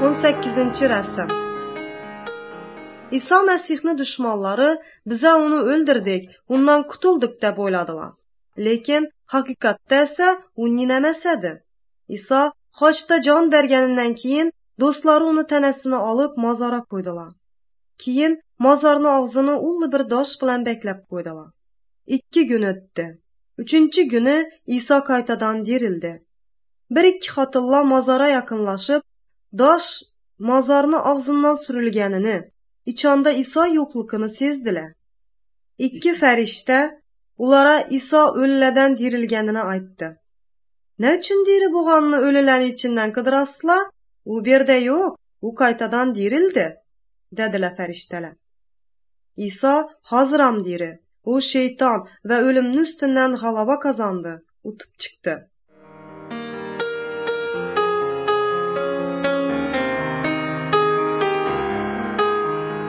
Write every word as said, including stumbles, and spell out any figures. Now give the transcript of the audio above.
on sakkizinchi rasm. İsa Məsihni düşmanları bizə onu öldürdük, ondan qutulduk deb oyladılar. Lekin haqiqatda ise o nineməsədir. İsa haçda can bergenindən keyin dostları onu tənesini alıp mazara koydular. Keyin mazarın ağzını ullu bir daş bilan beklep koydular. İki gün ötdü. Üçüncü günü İsa kaytadan dirildi. Bir iki hatırla mazara yakınlaşıp daş mazarın ağzından sürülgenini, içanda İsa yoklukunu sezdiler. İki ferişte onlara İsa ölülerden dirilgenini aytdı. Ne için diri boğanını ölülerin içinden kıdırasılar? O bir de yok, o kaytadan dirildi, dediler ferişteler. İsa hazıram diri, o şeytan ve ölümün üstünden galaba kazandı, utup çıktı.